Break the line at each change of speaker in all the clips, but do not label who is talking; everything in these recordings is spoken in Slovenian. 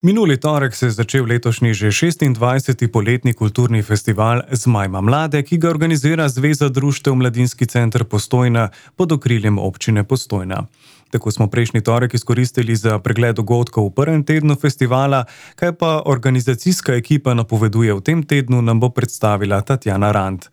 Minuli torek se je začel letošnji že 26. poletni kulturni festival Zmajma mlade, ki ga organizira Zveza društev Mladinski center Postojna pod okriljem občine Postojna. Tako smo prejšnji torek izkoristili za pregled dogodkov v prvem tednu festivala, kaj pa organizacijska ekipa napoveduje v tem tednu, nam bo predstavila Tatjana Rant.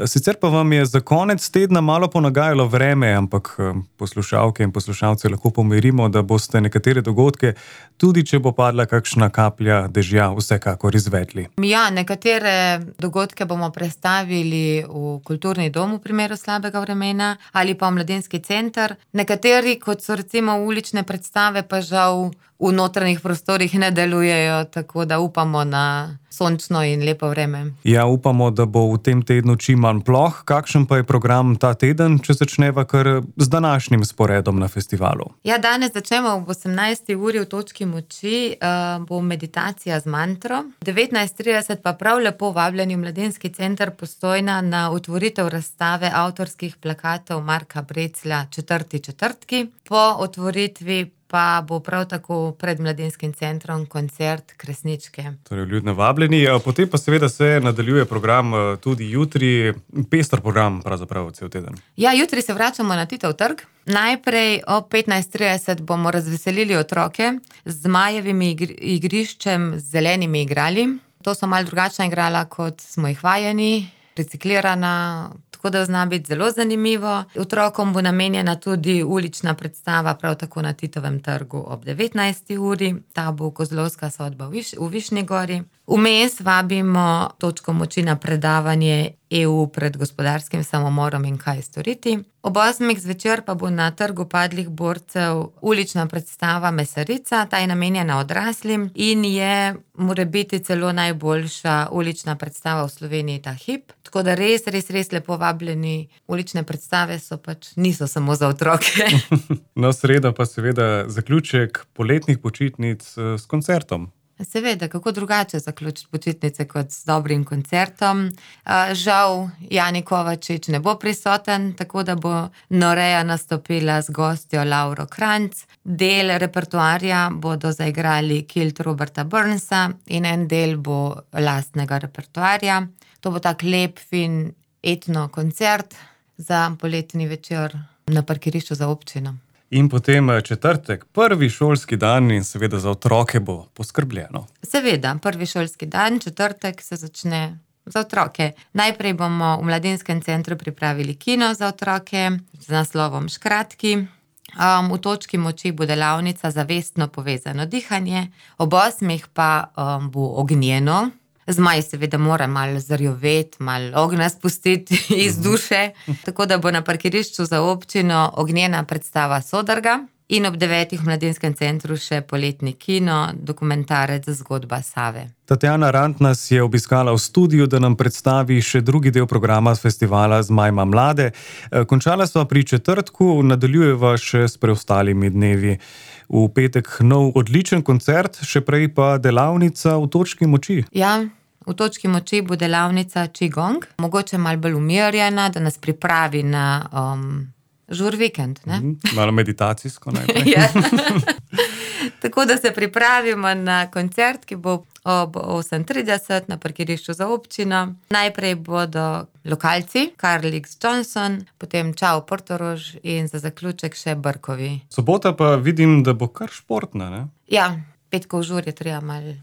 Sicer pa vam je za konec tedna malo ponagajalo vreme, ampak poslušalke in poslušalce lahko pomirimo, da boste nekatere dogodke, tudi če bo padla kakšna kaplja dežja, vsekakor izvedli.
Ja, nekatere dogodke bomo predstavili v kulturni dom v primeru slabega vremena ali pa v mladinski center. Nekateri, kot so recimo ulične predstave, pa žal v notranjih prostorih ne delujejo, tako da upamo na sončno in lepo vreme.
Ja, upamo, da bo v tem tednu čim manj ploh. Kakšen pa je program ta teden, če začneva kar z današnjim sporedom na festivalu?
Ja, danes začnemo ob 18. uri v točki moči, bo meditacija z mantro. 19:30 pa prav lepo vabljeni v Mladinski center Postojna na otvoritev razstave avtorskih plakatov Marka Breclja Četrti četrtki. Po otvoritvi pa bo prav tako pred Mladinskim centrom koncert Kresničke.
Torej, vljudno vabljeni. Potem pa seveda se nadaljuje program tudi jutri, pester program pravzaprav cel teden.
Ja, jutri se vračamo na Titov trg. Najprej ob 15:30 bomo razveselili otroke z zmajevimi igriščem z zelenimi igrali. To so malo drugačna igrala, kot smo jih vajeni, reciklirana, tako da zna biti zelo zanimivo. Otrokom bo namenjena tudi ulična predstava, prav tako na Titovem trgu ob 19. uri. Ta bo Kozlovska sodba v Višnji Gori. Vmes vabimo točko moči na predavanje EU pred gospodarskim samomorom in kaj storiti. Ob 8. zvečer pa bo na trgu padlih borcev ulična predstava Mesarica. Ta je namenjena odraslim in je morebiti celo najboljša ulična predstava v Sloveniji ta hip. Tako da res lepo vabljeni. Ulične predstave niso samo za otroke.
No, sreda pa seveda zaključek poletnih počitnic s koncertom.
Seveda, kako drugače zaključiti počitnice kot s dobrim koncertom. Žal Jani Kovačič ne bo prisoten, tako da bo Noreja nastopila z gostjo Lauro Kranjc. Del repertoarja bodo zaigrali Kilt Roberta Burnsa in en del bo lastnega repertoarja. To bo tak lep, fin etno koncert za poletni večer na parkirišču za občino.
In potem četrtek, prvi šolski dan in seveda za otroke bo poskrbljeno.
Seveda, prvi šolski dan, četrtek se začne za otroke. Najprej bomo v Mladinskem centru pripravili kino za otroke z naslovom Škratki. V točki moči bo delavnica Zavestno povezano dihanje. Ob 8. pa bo ognjeno. Zmaj seveda mora malo zarjoveti, malo ognja spustiti iz duše, tako da bo na parkirišču za občino ognjena predstava Sodrga in ob 9. v Mladinskem centru še poletni kino, dokumentarec Zgodba Save.
Tatjana Rant nas je obiskala v studiu, da nam predstavi še drugi del programa festivala Zmajma mlade. Končala sva pri četrtku, nadaljujeva še s preostalimi dnevi. V petek nov odličen koncert, še prej pa delavnica v točki moči.
Ja, v točki moči bo delavnica Qigong, mogoče malo bolj umirjena, da nas pripravi na žur vikend.
Malo meditacijsko najprej.
Ja. Tako da se pripravimo na koncert, ki bo ob 8:30 na parkirišču za občino. Najprej bodo lokalci, Karl X. Johnson, potem Čau Portorož in za zaključek še Brkovi.
Sobota pa vidim, da bo kar športna, ne?
Ja, petkov žur je treba malo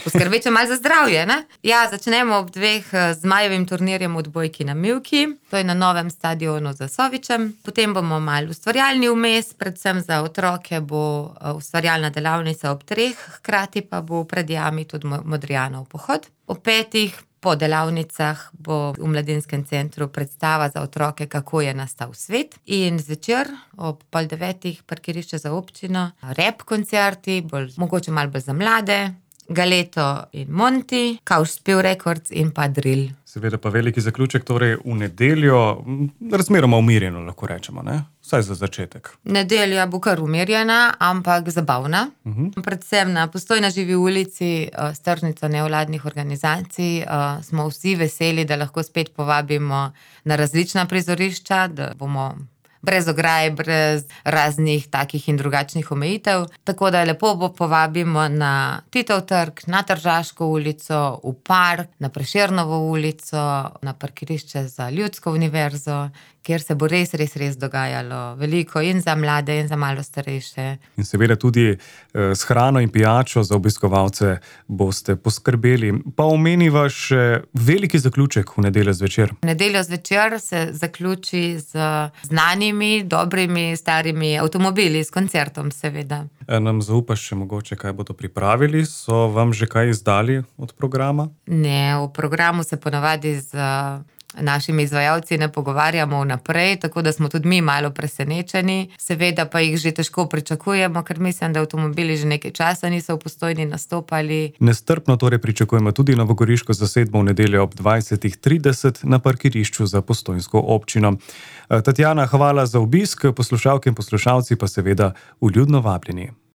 poskrbeti malo za zdravje, ne? Ja, začnemo ob 2 zmajevim turnirjem v odbojki na Mivki, to je na novem stadionu za Sovičem. Potem bomo malo ustvarjalni vmes, predvsem za otroke bo ustvarjalna delavnica ob 3, hkrati pa bo pred jami tudi Modrijanov pohod. Ob 5. po delavnicah bo v Mladinskem centru predstava za otroke, kako je nastal svet. In zvečer ob 8:30 parkirišče za občino, rap koncerti, mogoče malo bolj za mlade, Galeto in Monty, Kauš Spiv Records in pa Drill.
Seveda pa veliki zaključek, torej v nedeljo, razmeroma umirjeno lahko rečemo, ne? Vsaj za začetek.
Nedelja bo kar umirjena, ampak zabavna. Predvsem na Postojna živi ulici s tržnico nevladnih organizacij smo vsi veseli, da lahko spet povabimo na različna prizorišča, da bomo brez ograj, brez raznih takih in drugačnih omejitev. Tako da lepo povabimo na Titov trg, na Tržaško ulico, v park, na Prešernovo ulico, na parkirišče za Ljudsko univerzo, kjer se bo res dogajalo veliko in za mlade in za malo starejše.
In seveda tudi s hrano in pijačo za obiskovalce boste poskrbeli. Pa omeniva še veliki zaključek v nedeljo zvečer.
V nedeljo zvečer se zaključi z znanimi, dobrimi, starimi avtomobili, s koncertom seveda.
Nam zaupaš še mogoče, kaj bodo pripravili? So vam že kaj izdali od programa?
Ne, v programu se ponavadi z našimi izvajalci ne pogovarjamo vnaprej, tako da smo tudi mi malo presenečeni. Seveda pa jih že težko pričakujemo, ker mislim, da avtomobili že nekaj časa niso v Postojni nastopali.
Nestrpno torej pričakujemo tudi novogoriško zasedbo v nedeljo ob 20:30 na parkirišču za postojnsko občino. Tatjana, hvala za obisk, poslušalke in poslušalci pa seveda vljudno vabljeni.